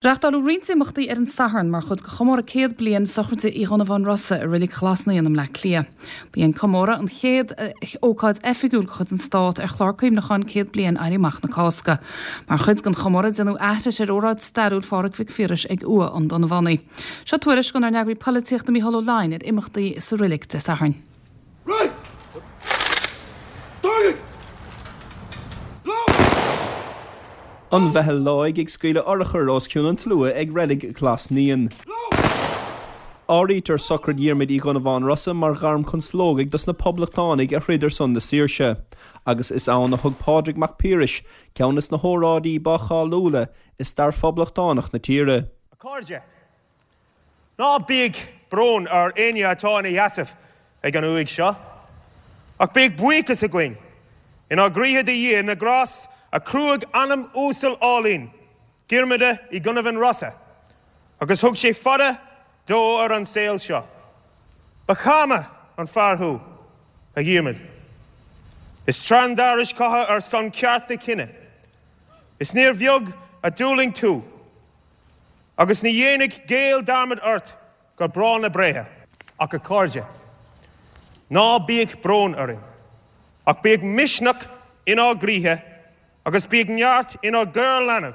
Reachtáladh roinnt imeachtaí ar an Satharn mar chuid de chomóradh 100 bliain sochraide Uí Dhonnabháin Rosa i Reilig Ghlas Naíon i mBleá Cliath. Ba é an comóradh an chéad ócáid oifigiúil de chuid an Stát ar chlár cuimhneacháin 100 bliain Éirí Amach na Cásca. Mar chuid den chomóradh déanadh aithris ar óráid stairiúil Phádraig Mhic Phiarais ag uaigh an Donnabhánaigh. Seo tuairisc ónár n-eagraí polaitíochta Mícheál Ó Leidhin ar imeachtaí sa reilig Dé Sathairn. An mheitheal láig ag scaoileadh urchar os cionn an tslua ag Reilig Ghlas Naíon. Áirítear sochraid Dhiarmuid Uí Dhonnabháin Rosa mar ghairm chun slógaidh dos na poblachtánaigh a throid ar son na saoirse, agus is ann a thug Pádraig Mac Piarais ceann des na hóráidí ba cháiliúla i stair phoblachtánach na tíre. A chairde, Ná bíodh brón ar éinne atá ina sheasamh ag an uaigh seo, ach bíodh buíochas againn inár gcroíthe do Dhia na grást a chruthaigh anam uasal álainn Dhiarmada Uí Dhonnabháin Rosa agus thug sé fada dó ar an saol seo. Ba cháma an fear thú, a Dhiarmaid. Is trean d'fhearais catha ar son ceart do chine. Is níor bheag a d'fhulaing tú. Agus ní dhéanfaidh Gael dearmad ort go bráth na bréithe. Ach a chairde, ná bíodh brón orainn, ach bíodh misneach inár gcroíthe agus bíodh neart inár gcur leanbh,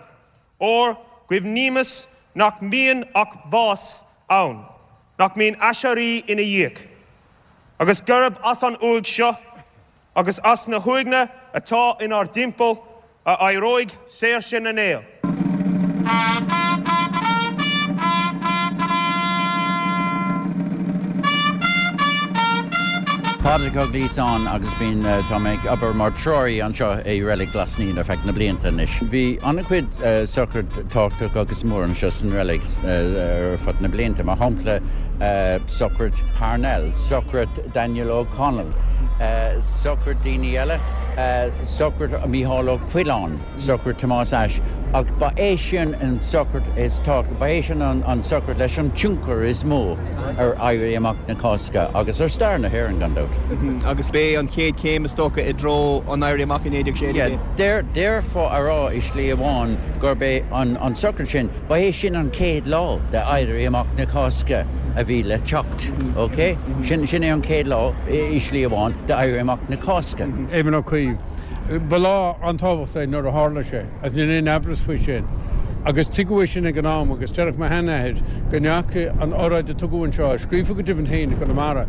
óir cuimhnímis nach mbíonn ach bás ann, nach mbíonn aiséirí ina dhiaidh, agus gurb as an uaigh seo agus as na huaigheanna atá inár dtimpeall a éireoidh saoirse na nGael. Pádraig Ó Gliasáin agus bíonn, tá mé ag obair mar treoraí anseo i Reilig Ghlas Naíon ar feadh na blianta anois. Bhí an-chuid sochraid tábhachtach agus mór anseo san reilig ar fud na blianta, mar shampla sochraid Parnell, sochraid Daniel O'Connell, sochraid daoine eile, sochraid Mícheál Ó Coileáin, sochraid Tomás Ashe, ach ba é sin an sochraid is tábhachtaí, ba é sin an sochraid leis an tionchar is mó ar Éirí Amach na Cásca agus ar stair na hÉireann, gan dabht. Agus b'é an chéad chéim, is dócha, i dtreo an Éirí Amach i 1916. Yeah, déarfá a rá i slí amháin gurb é an sochraid sin, Ba é sin an chéad lá de Éirí Amach na Cásca a bhí le teacht, ok? Sin, sin é an chéad lá, i slí amháin, de Éirí Amach na Cásca. Éamon Ó Cuív. Ba lá an-tábhachtach é nuair a tharla sé, agus níl aon amhras faoi sin. Agus tuigeadh é sin ag an am agus déarfadh mo sheanathair go ndeachaigh an oráid a tugadh anseo, a scríofa go deimhin féin i gConamara,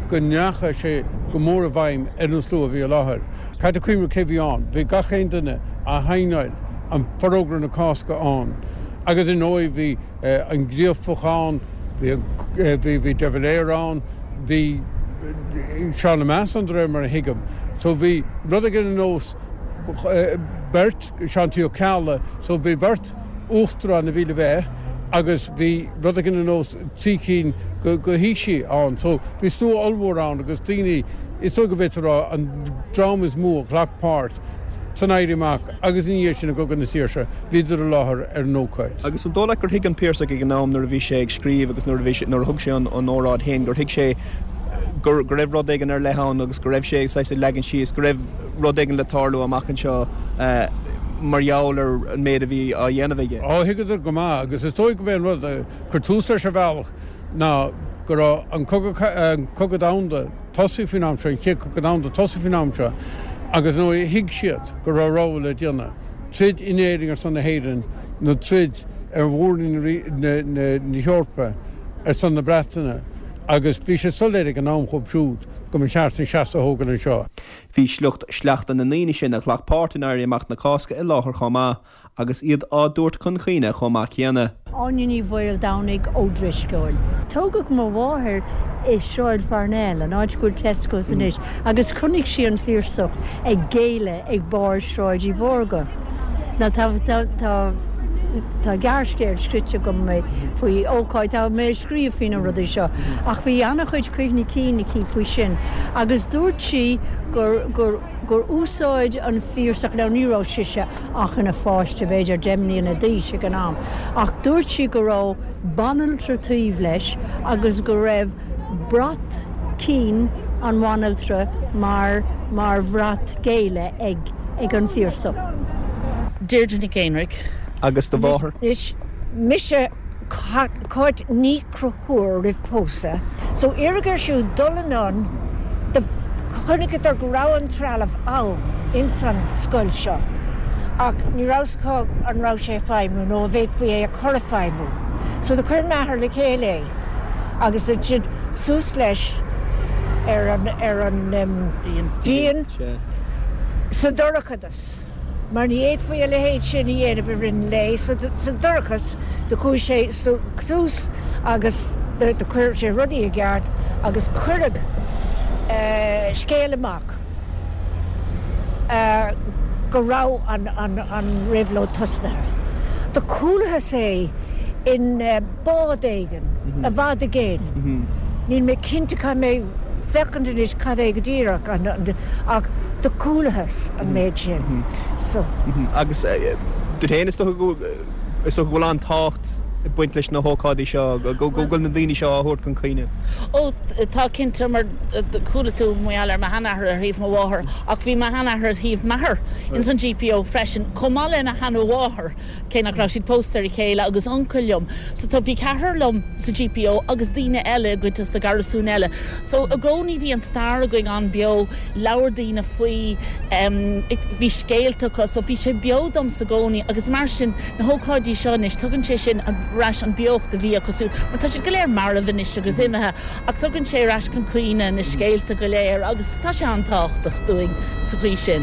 go ndeachaigh sé go mór i bhfeidhm ar an slua a bhí i láthair. Caithfidh tú cuimhneamh cé bhí ann. Bhí gach aon duine a shaighneáil an Forógra na Cásca ann agus ar ndóigh bhí an Gríofach ann, bhí bhí de Valera ann, bhí Seán Lemass ann de réir mar a thuigim. So bhí rud éigin ar nós beirt, Seán T. Ó Ceallaigh, so bhí beirt uachtarán a bhí le bheith agus bhí rud éigin ar nós 3 cinn de thaoisigh ann. So bhí slua ollmhór ann agus daoine, is dóigh go bhféadfá a rá, an dream is mó a ghlac páirt san Éirí Amach agus ina dhiaidh sin i gCogadh na Saoirse, bhíodar i láthair ar an ócáid. Agus an dóigh leat gur thuig an Piarsach ag an am nuair a bhí sé ag scríobh agus nuair a bhí sé, nuair a thug sé an óráid féin, gur thuig sé go raibh rud éigin ar leith ann agus go raibh sé saghas ag leagan síos go raibh rud éigin le tarlú amach anseo mar gheall ar an méid a bhí á dhéanamh aige? Ó, thuigeadar go maith agus is dóigh go b'é an rud a chuir tús leis ar bhealach ná go raibh an Cogadh, an Cogadh Domhanda, tosaithe faoin am seo, an Chéad Chogadh Domhanda tosaithe faoin am seo, agus ar ndóigh thuig siad go raibh rogha le déanamh, troid in Éirinn ar son na hÉireann nó troid ar mhór-roinn na hEorpa ar son na Breataine, agus bhí sé soiléir ag an am dhóibh siúd go mba cheart an seasamh a thógáil anseo. Bhí sliocht sleachta na ndaoine sin a ghlac páirt in Éirí Amach na Cásca i láthair chomh maith. agus iad á dtabhairt chun cuimhne chomh maith céanna. Áine Ní Mhaoldomhnaigh ó Drisceoil. Tógadh mo mháthair i Sráid Pharnell, an áit go bhfuil Tesco's anois, agus chonaic sí an Piarsach ag géilleadh ag barr Sráid Uí Mhórdha. Now tá tá tá tá gearrscéal scríte agam faoi ócáid, tá mé ag scríobh faoi na rudaí seo, ach bhí an-chuid cuimhní cinn aici faoi sin agus dúirt sí gur gur gur úsáid an Piarsach, now ní raibh sise ach ina pháiste, b'fhéidir 10 mbliana d'aois ag an am, ach dúirt sí go raibh banaltra taobh leis agus go raibh brat cinn an bhanaltra mar mar bhrat géilleadh ag ag an Phiarsach. Deirdre Nic Éinrich. Agus do mháthair? Anois, mise Cáit Ní Chonchúir roimh pósadh, so iarradh air siúd dul anonn, do chonaiceadar go raibh an trealamh ann ins an scoil seo ach ní raibh 's acu an raibh sé ag feidhmiú nó an bhféadfaí é a chur ag feidhmiú. So do chuir m'athair le chéile é agus ansin suas leis ar an, ar an díon sa dorchadas. mar ní fhéadfaí a leithéid sin a dhéanamh i rith an lae, so sa dorchas do chuaigh sé suas agus do chuir sé rudaí i gceart agus cuireadh scéal amach go raibh an réabhlóid tosnaithe. Do chualathas é in bád éigin i bhfad i gcéin. Níl mé cinnte, caithfidh mé féachaint anois cad é go díreach ach do chualathas an méid sin. So. Agus duit féin, is dócha go is dócha go bhfuil an-tábhacht ag baint leis na hócáidí seo, go bhfuil na daoine seo á thabhairt chun cuimhne. Ó tá cinnte, mar chuala tú mar gheall ar mo sheanathair ar thaobh mo mháthar ach bhí mo sheanathair ar thaobh m'athar ins an GPO freisin, chomh maith le mo sheanamháthair. cé nach raibh siad pósta ar a chéile, agus uncail liom. So tá, bhí ceathrar liom sa GPO agus daoine eile i gcuid des na garasúin eile. So i gcónaí bhí an stair againn an-bheo, labhair daoine faoi, em, bhí scéalta acu, so bhí sé beo domsa i gcónaí agus mar sin na hócáidí seo anois, tugann sé sin ar ais an beocht a bhí acu siúd, mar tá siad go léir marbh anois agus imithe ach tugann sé ar ais chun cuimhne na scéalta go léir agus tá sé an-tábhachtach dúinn sa chaoi sin.